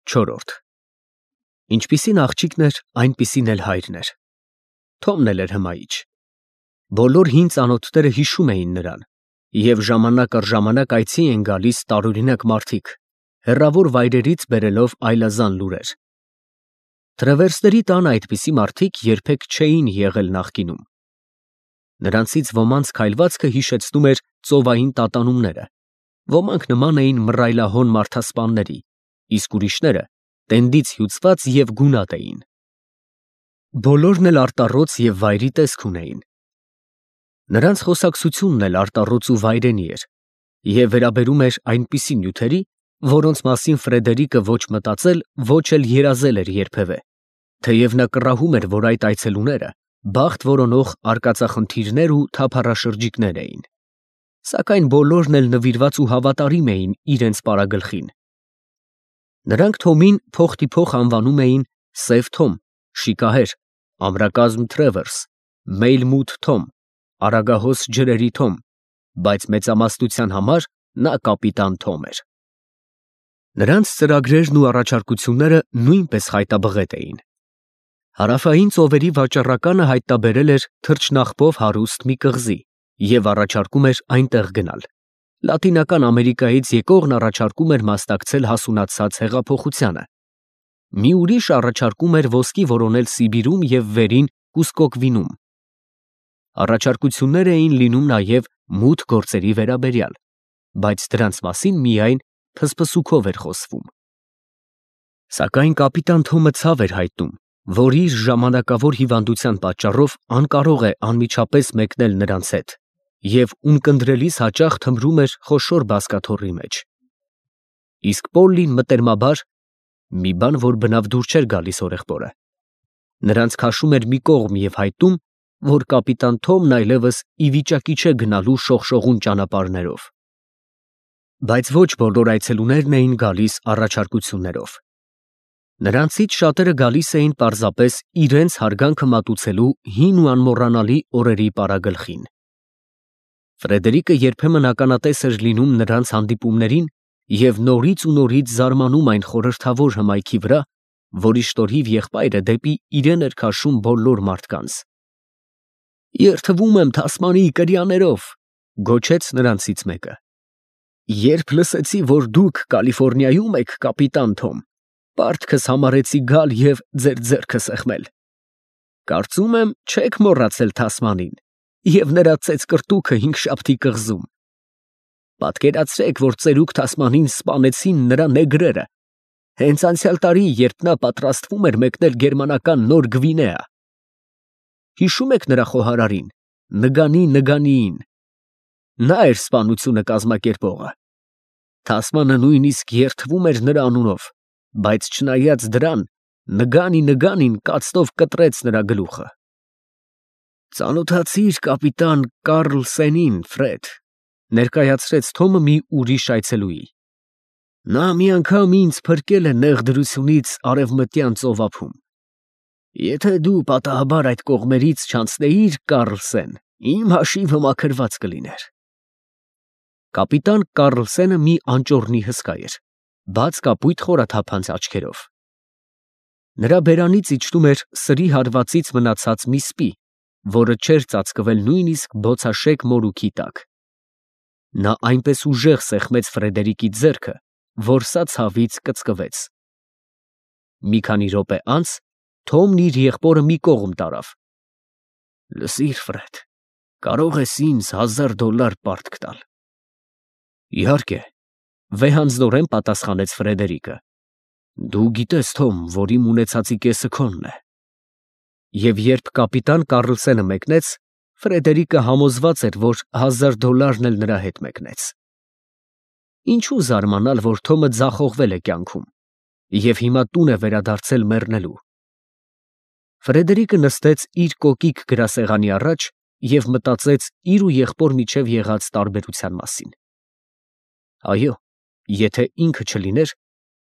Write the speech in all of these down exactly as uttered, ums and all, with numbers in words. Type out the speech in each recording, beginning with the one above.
Չորրորդ Ինչպիսին աղջիկն էր, այնպիսին էլ հայրն էր։ Թոմն էլ էր հմայիչ։ Բոլոր հին ծանոթները հիշում էին նրան, և ժամանակ առ ժամանակ այցի էին գալիս տարօրինակ մարդիկ, հեռավոր վայրերից բերելով այլազան լուրեր։ Տրևերսների տան այդպիսի մարդիկ երբեք չէին եղել նախկինում։ Նրանցից ոմանց քայլվածքը հիշեցնում էր ծովային տատանումները, ոմանք նման էին մռայլահոն մարդասպանների, իսկ ուրիշները տենդից հյուծված և գունատ էին։ Բոլորն էլ արտառոց և վայրի տեսք ունեին։ Նրանց խոսակցությունն էլ արտառոց ու վայրենի էր և վերաբերում էր այնպիսի նյութերի, որոնց մասին Ֆրեդերիկը ոչ մտածել, ոչ էլ երազել էր երբևէ, թեև նա կռահում էր, որ այդ այցելուները բախտ որոնող արկածախնդիրներ ու թափառաշրջիկներ էին, սակայն բոլորն էլ նվիրված ու հավատարիմ էին իրենց պարագլխին։ Նրանք Թոմին փոխտիփոխ անվանում էին Սև Թոմ, Շիկահեր, Ամրակազմ Թրևերս, Մեյլմութ Թոմ, Արագահոս ջրերի Թոմ, բայց մեծամասնության համար նա կապիտան Թոմ էր։ Նրանց ծրագրերն ու առաջարկությունները նույնպես խայտաբղետ էին։ Հարավային ծովերի վաճառականը հայտնաբերել էր թռչնախպով հարուստ մի կղզի և առաջարկում էր այնտեղ գնալ։ Լատինական Ամերիկայից եկողն առաջարկում էր մասնակցել հասունացած հեղափոխությանը։ Մի ուրիշ առաջարկում էր ոսկի որոնել Սիբիրում և վերին Կուսկոկվինում։ Առաջարկություններ էին լինում նաև մութ գործերի վերաբերյալ, բայց դրանց մասին միայն փսփսուքով էր խոսվում։ Սակայն կապիտան Թոմը ցավ էր հայտնում, որ իր ժամանակավոր հիվանդության պատճառով անկարող է անմիջապես մեկնել նրանց հետ և ունկնդրելիս հաճախ թմրում էր խոշոր բազկաթոռի մեջ։ Իսկ Պոլլին մտերմաբար (մի բան, որ բնավ դուր չէր գալիս հորեղբորը) նրանց քաշում էր մի կողմ և հայտնում, որ կապիտան Թոմն այլևս ի վիճակի չէ գնալու շողշողուն ճանապարհներով։ Բայց ոչ բոլոր այցելուներն էին գալիս առաջարկություններով։ Նրանցից շատերը գալիս էին պարզապես իրենց հարգանքը մատուցելու հին ու անմոռանալի օրերի պարագլխին։ Ֆրեդերիկը երբեմն ականատես էր լինում նրանց հանդիպումներին և նորից ու նորից զարմանում այն խորհրդավոր հմայքի վրա, որի շնորհիվ եղբայրը դեպի իրեն էր քաշում բոլոր մարդկանց։ «Երդվում եմ թասմանի կրյաներով», գոչեց նրանցից մեկը։ «Երբ լսեցի, որ դուք Կալիֆոռնիայում եք, կապիտան Թոմ, պարտքս համարեցի գալ և ձեր ձեռքը սեղմել։ Կարծում եմ, չեք մոռացել Թասմանին և նրա ծեծկռտուքը հինգշաբթի կղզում։ Պատկերացրեք, որ ծերուկ Թասմանին սպանեցին նրա նեգրերը, հենց անցյալ տարի, երբ նա պատրաստվում էր մեկնել գերմանական Նոր Գվինեա։ Հիշո՞ւմ եք նրա խոհարարին՝ Նգանի Նգանիին։ Նա էր սպանությունը կազմակերպողը։ Թասմանը նույնիսկ երդվում էր նրա անունով, բայց չնայած դրան, Նգանի Նգանին կացնով կտրեց նրա գլուխը։ Ծանոթացիր կապիտան Կառլսենին, Ֆրեդ, ներկայացրեց Թոմը մի ուրիշ այցելուի։ Նա մի անգամ ինձ փրկել է նեղ դրությունից արևմտյան ծովափում։ Եթե դու պատահաբար այդ կողմերից չանցնեիր, Կառլսեն, իմ հաշիվը մաքրված կլիներ։ Կապիտան Կառլսենը մի անճոռնի հսկա էր, բաց կապույտ խորաթափանց աչքերով։ Նրա բերանից իջնում էր սրի հարվածից մնացած մի սպի, որը չէր ծածկվել նույնիսկ բոցաշեկ մորուքի տակ։ Նա այնպես ուժեղ սեղմեց Ֆրեդերիկի ձեռքը, որ սա ցավից կծկվեց։ Մի քանի րոպե անց Թոմն իր եղբորը մի կողմ տարավ։ Լսիր, Ֆրեդ, կարող ես ինձ հազար դոլար պարտք տալ։ Իհարկե, վեհանձնորեն պատասխանեց Ֆրեդերիկը։ Դու գիտես, Թոմ, որ իմ ունեցածի կեսը քոնն է։ Եվ երբ կապիտան Կառլսենը մեկնեց, Ֆրեդերիկը համոզված էր, որ հազար դոլարն էլ նրա հետ մեկնեց։ Ինչու զարմանալ, որ Թոմը ձախողվել է կյանքում և հիմա տուն է վերադարձել մեռնելու։ Ֆրեդերիկը նստեց իր կոկիկ գրասեղանի առաջ և մտածեց իր ու եղբոր միջև եղած տարբերության մասին։ Այո, եթե ինքը չլիներ,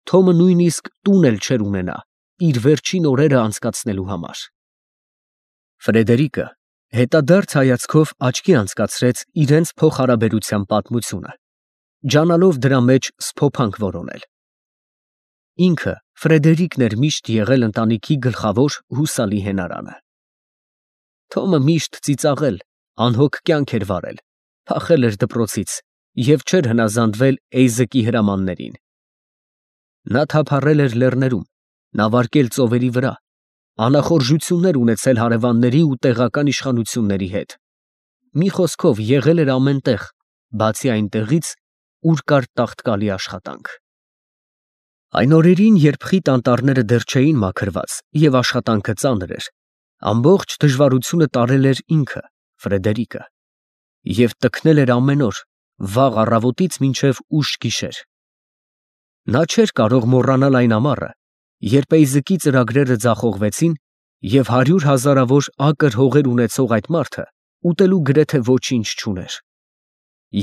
Թոմը նույնիսկ տուն էլ չէր ունենա իր վերջին օրերը անցկացնելու համար։ Ֆրեդերիկը հետադարձ հայացքով աչքի անցկացրեց իրենց փոխհարաբերության պատմությունը, ջանալով դրա մեջ սփոփանք որոնել։ Ինքը Ֆրեդերիկն էր միշտ եղել ընտանիքի գլխավոր հուսալի հենարանը։ Թոմը միշտ ծիծաղել, անհոգ կյանք էր վարել, փախել էր դպրոցից և չէր հնազանդվել Էյզեկի հրամաններին։ Նա թափառել էր լեռներում, նավարկել ծովերի վրա, անախորժություններ ունեցել հարևանների ու տեղական իշխանությունների հետ։ Մի խոսքով եղել էր ամեն տեղ, բացի այնտեղից, ուր կար տաղտկալի աշխատանք։ Այն օրերին, երբ խիտ անտառները դեռ չէին մաքրված և աշխատանքը ծանր էր, ամբողջ դժվարությունը տարել էր ինքը, Ֆրեդերիկը, և տքնել էր ամեն օր, վաղ առավոտից մինչև ուշ գիշեր։ Նա չէր կարող մոռանալ այն ամառը, երբ Էյզեկի ծրագրերը ձախողվեցին, և հարյուր հազարավոր ակր հողեր ունեցող այդ մարդը ուտելու գրեթե ոչինչ չուներ։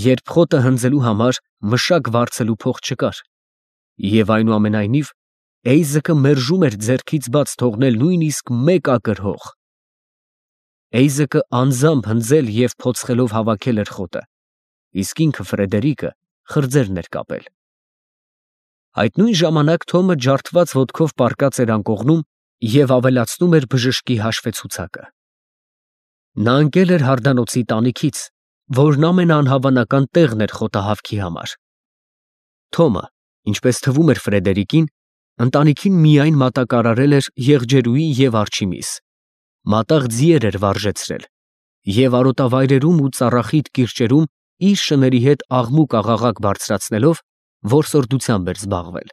Երբ խոտը հնձելու համար մշակ վարձելու փող չկար, և այնուամենայնիվ Էյզեկը մերժում էր ձեռքից բաց թողնել նույնիսկ մեկ ակր հող։ Էյզեկը անձամբ հնձել և փոցխելով հավաքել էր խոտը, իսկ ինքը Ֆրեդերիկը խրձերն էր կապել։ Այդ նույն ժամանակ Թոմը ջարդված ոտքով պառկած էր անկողնում և ավելացնում էր բժշկի հաշվեցուցակը։ Նա ընկել էր հարդանոցի տանիքից, որն ամենաանհավանական տեղն էր խոտահավքի համար։ Թոմը, ինչպես թվում էր Ֆրեդերիկին, ընտանիքին միայն մատակարարել էր եղջերուի և արջի միս, մատաղ ձիեր էր վարժեցրել և արոտավայրերում ու ծառախիտ կիրճերում իր շների հետ աղմուկ֊աղաղակ բարձրացնելով որսորդությամբ էր զբաղվել։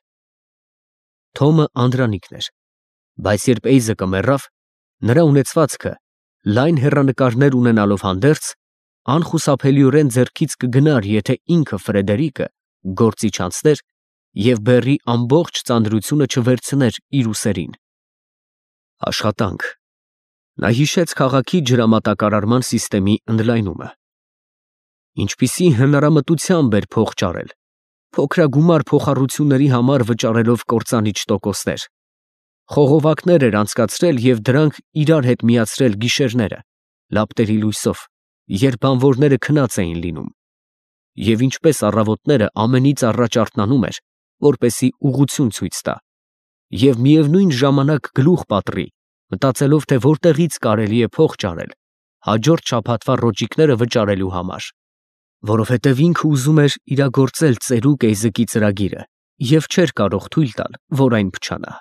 Թոմը անդրանիկն էր, բայց երբ Էյզեկը մեռավ, նրա ունեցվածքը, լայն հեռանկարներ ունենալով հանդերձ, անխուսափելիորեն ձեռքից կգնար, եթե ինքը Ֆրեդերիկը գործի չանցներ և բեռի ամբողջ ծանրությունը չվերցներ իր ուսերին։ Աշխատանք։ Նա հիշեց քաղաքի ջրամատակարարման սիստեմի ընդլայնումը։ Ինչպիսի հնարամտությամբ էր փող ճարել, փոքրագումար փոխառությունների համար վճարելով կործանիչ տոկոսներ, խողովակներ էր անցկացրել և դրանք իրար հետ միացրել գիշերները, լապտերի լույսով, երբ բանվորները քնած էին լինում, և ինչպես առավոտները ամենից առաջ արթնանում էր, որպեսզի ուղղություն ցույց տա, և միևնույն ժամանակ գլուխ պատռի, մտածելով, թե որտեղից կարելի է փող ճարել հաջորդ շաբաթվա ռոճիկները վճարելու համար, որովհետև ինքը ուզում էր իրագործել ծերուկ Էյզեկի ծրագիրը և չէր կարող թույլ տալ, որ այն փչանա։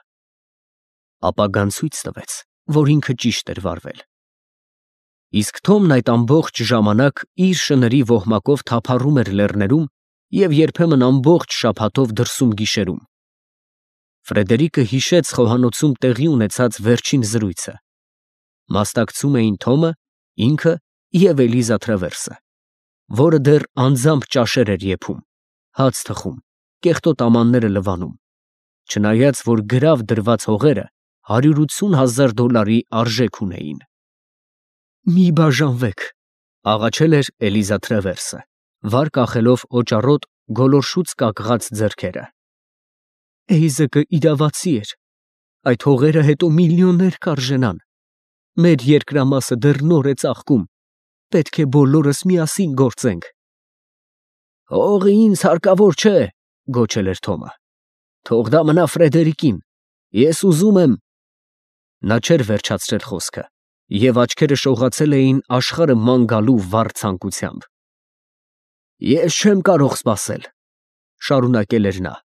Ապագան ցույց տվեց, որ ինքը ճիշտ էր վարվել։ Իսկ Թոմն այդ ամբողջ ժամանակ իր շների ոհմակով թափառում էր լեռներում և երբեմն ամբողջ շաբաթով դրսում գիշերում։ Ֆրեդերիկը հիշեց խոհանոցում տեղի ունեցած վերջին զրույցը։ Մասնակցում էին Թոմը, ինքը և Էլիզա Թրևերսը, որը դեռ անձամբ ճաշեր էր եփում, հաց թխում, կեղտոտ ամանները լվանում, չնայած որ գրավ դրված հողերը հարյուրություն հազար դոլարի արժեք ունեին։ «Մի բաժանվեք», ֊ աղաչել էր Էլիզա Թրևերսը, վար կախելով օճառոտ գոլորշուց կակղած ձեռքերը։ Էյզեկը իրավացի էր, այդ հողերը հետո միլիոններ կարժենան, մեր երկրամասը դեռ նոր է ծաղկում, պետք է բոլորս միասին գործենք։ «Հողը ինձ հարկավոր չէ», ֊ գոչել էր Թոմը, «թող դա մնա Ֆրեդերիկին, ես ուզում եմ…» Նա չէր վերջացրել խոսքը, և աչքերը շողացել էին աշխարհը ման գալու վառ ցանկությամբ։ «Ես չեմ կարող սպասել», ֊ շարունակել էր նա,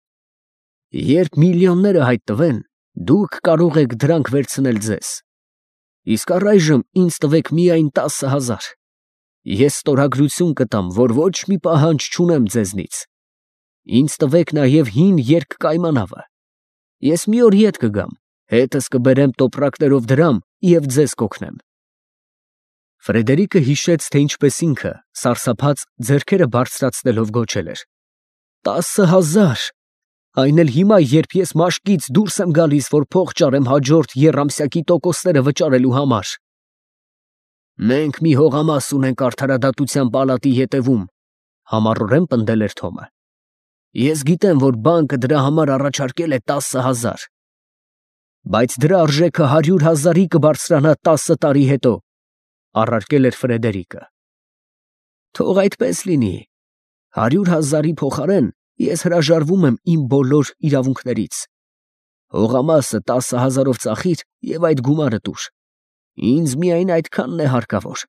«երբ միլիոնները հայտնվեն, դուք կարող եք դրանք վերցնել ձեզ, իսկ առայժմ ինձ տվեք միայն տասը հազար, ես ստորագրություն կտամ, որ ոչ մի պահանջ չունեմ ձեզնից, ինձ տվեք նաև հին երկկայմանավը, ես մի օր ետ կգամ, հետս կբերեմ տոպրակներով դրամ և ձեզ կօգնեմ»։ Ֆրեդերիկը հիշեց, թե ինչպես ինքը, սարսափած, ձեռքերը բարձրացնելով գոչել էր. «Տասը հազար, այն էլ հիմա, երբ ես մաշկից դուրս եմ գալիս, որ փող ճարեմ հաջորդ եռամսյակի տոկոսները վճարելու համար»։ «Մենք մի հողամաս ունենք արդարադատության պալատի ետևում», ֊ համառորեն պնդել էր Թոմը։ «Ես գիտեմ, որ բանկը դրա համար առաջարկել է տասը հազար, բայց դրա արժեքը հարյուր հազարի կբարձրանա տասը տարի հետո», ֊ առարկել էր Ֆրեդերիկը։ «Թող այդպես լինի, հարյուր հազարի փոխարեն ես հրաժարվում եմ իմ բոլոր իրավունքներից, Հողամասը տասը հազարով ծախիր և այդ գումարը տուր. ինձ միայն այդքանն է հարկավոր,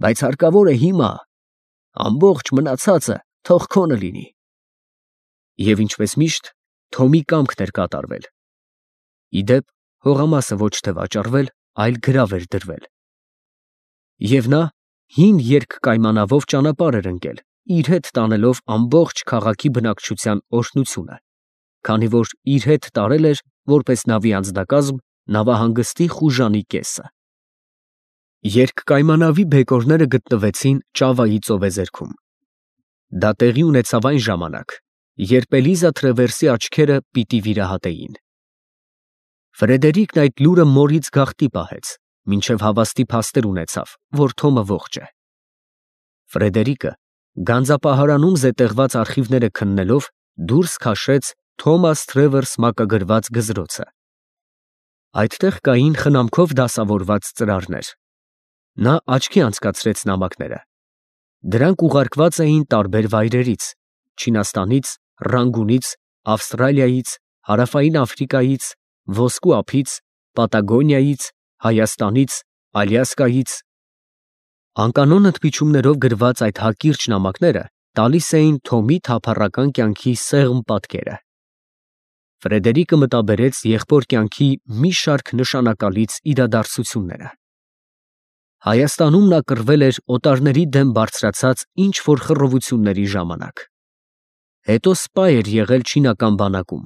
բայց հարկավոր է հիմա, ամբողջ մնացածը թող քոնը լինի։ Եվ ինչպես միշտ, Թոմի կամքն էր կատարվել. ի դեպ, հողամասը ոչ թե վաճառվել, այլ գրավ էր դրվել։ Եվ նա հին երկկայմանավով ճանապարհ էր ընկել, իր հետ տանելով ամբողջ քաղաքի բնակչության օրհնությունը, քանի որ իր հետ տարել էր, որպես նավի անձնակազմ, նավահանգստի խուժանի կեսը։ Երկկայմանավի բեկորները գտնվեցին Ճավայի ծովեզերքում։ Դա տեղի ունեցավ այն ժամանակ, երբ Էլիզա Թրևերսի աչքերը պիտի վիրահատեին։ Ֆրեդերիկն այդ լուրը մորից գաղտնի պահեց, մինչև հավաստի փաստեր ունեցավ, որ Թոմը ողջ է։ Ֆրեդերիկը գանձապահարանում զետեղված արխիվները քննելով դուրս քաշեց Թոմաս Թրևերս մակագրված գզրոցը։ Այդտեղ կային խնամքով դասավորված ծրարներ։ Նա աչքի անցկացրեց նամակները։ Դրանք ուղարկված էին տարբեր վայրերից՝ Չինաստանից, Ռանգունից, Ավստրալիայից, Հարավային Աֆրիկայից, Ոսկու ափից, Պատագոնիայից, Հայաստանից, Ալյասկայից։ Անկանոն ընդմիջումներով գրված այդ հակիրճ նամակները տալիս էին Թոմի թափառական կյանքի սեղմ պատկերը։ Ֆրեդերիկը մտաբերեց եղբոր կյանքի մի շարք նշանակալից իրադարձությունները։ Հայաստանում նա կռվել էր օտարների դեմ բարձրացած ինչ-որ խռովությունների ժամանակ։ Հետո սպա էր եղել չինական բանակում,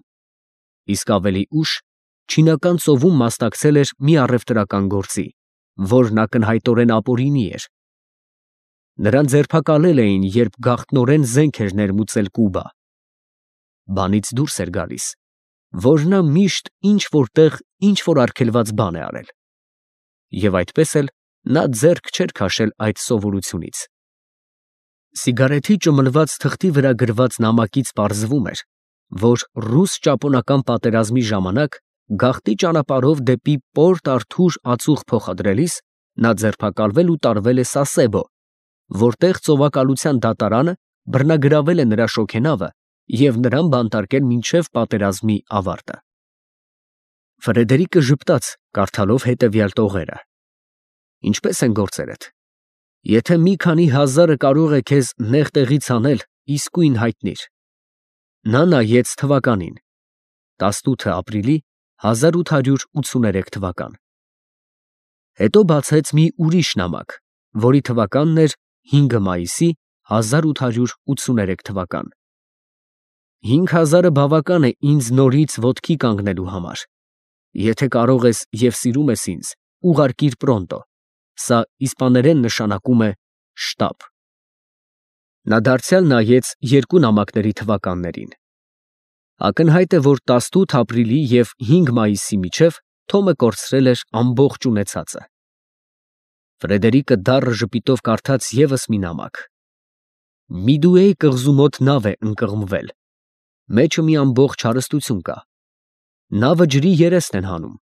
իսկ ավելի ուշ Չինական ծովում մասնակցել էր մի առևտրական գործի, որն ակնհայտորեն ապօրինի էր։ Նրան ձերբակալել էին, երբ գաղտնորեն զենք էր ներմուծել Կուբա։ Բանից դուրս էր գալիս, որ նա միշտ ինչ-որ տեղ ինչ-որ արգելված բան է արել։ Եվ այդպես էլ նա ձեռք չէր քաշել այդ սովորությունից։ Սիգարեթի ճմլված թղթի վրա գրված նամակից պարզվում էր, որ ռուս-ճապոնական պատերազմի ժամանակ գաղթի ճանապարհով դեպի Պորտ Արթուր ածուխ փոխադրելիս նա ձերբակալվել ու տարվել է Սասեբո, որտեղ ծովակալության դատարանը բռնագրավել է նրա շոգենավը և նրան բանտարկել մինչև պատերազմի ավարտը։ Ֆրեդերիկը ժպտաց, կարդալով հետևյալ տողերը. Ինչպե՞ս են գործերդ։ Եթե մի քանի հազարը կարող է քեզ նեղ տեղից հանել, իսկույն հայտնիր։ Նա նայեց թվականին. տասնութը ապրիլի հազար ութ հարյուր ութսուներեք թվական։ Հետո բացեց մի ուրիշ նամակ, որի թվականն էր հինգը մայիսի հազար ութ հարյուր ութսուներեք թվական։ Հինգ հազարը բավական է ինձ նորից ոտքի կանգնելու համար։ Եթե կարող ես և սիրում ես ինձ, ուղարկիր պրոնտո։ Սա իսպաներեն նշանակում է շտապ։ Նա դարձյալ նայեց երկու նամակների թվականներին։ Ակնհայտ է, որ տասնութ ապրիլի և հինգ մայիսի միջև Թոմը կորցրել էր ամբողջ ունեցածը։ Ֆրեդերիկը դառը ժպիտով կարդաց ևս մի նամակ. Միդուեի կղզու մոտ նավ է ընկղմվել։ Մեջը մի ամբողջ հարստություն կա։ Նավը ջրի երեսն են հանում։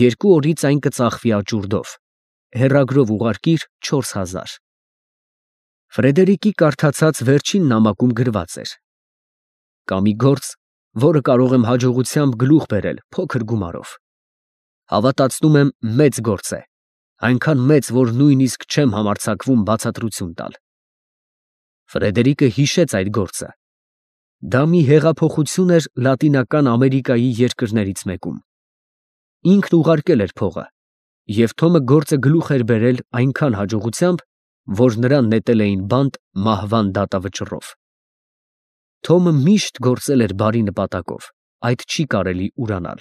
Երկու օրից այն կծախվի աճուրդով։ Հեռագրով ուղարկիր չորս հազար։ Ֆրեդերիկի կարդացած վերջին նամակում գրված էր. կա մի գործ, որը կարող եմ հաջողությամբ գլուխ բերել փոքր գումարով։ Հավատացնում եմ, մեծ գործ է, այնքան մեծ, որ նույնիսկ չեմ համարձակվում բացատրություն տալ։ Ֆրեդերիկը հիշեց այդ գործը։ Դա մի հեղափոխություն էր Լատինական Ամերիկայի երկրներից մեկում։ Ինքն ուղարկել էր փողը, և Թոմը գործը գլուխ էր բերել այնքան հաջողությամբ, որ նրան նետել էին բանտ մահվան դատավճռով։ Թոմը միշտ գործել էր բարի նպատակով, այդ չի կարելի ուրանալ։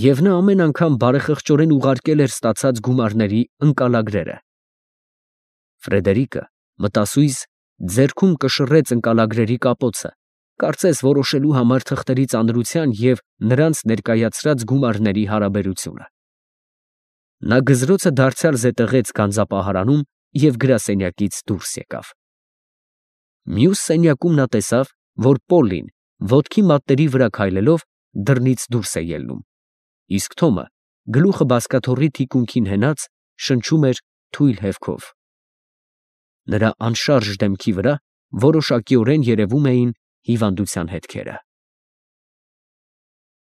Եվ նա ամեն անգամ բարեխղճորեն ուղարկել էր ստացած գումարների ընկալագրերը։ Ֆրեդերիկը մտասույզ ձեռքում կշռեց ընկալագրերի կապոցը, կարծես որոշելու համար թղթերի ծանրության և նրանց ներկայացրած գումարների հարաբերությունը։ Նա գզրոցը դարձյալ զետեղեց գանձապահարանում և գրասենյակից դուրս եկավ։ Մյուս սենյակում նա տեսավ, որ Պոլլին ոտքի մատների վրա քայլելով դռնից դուրս է ելնում, իսկ Թոմը գլուխը բազկաթոռի թիկունքին հենած շնչում էր թույլ հևքով։ Նրա անշարժ դեմքի վրա որոշակիորեն երևում էին հիվանդության հետքերը։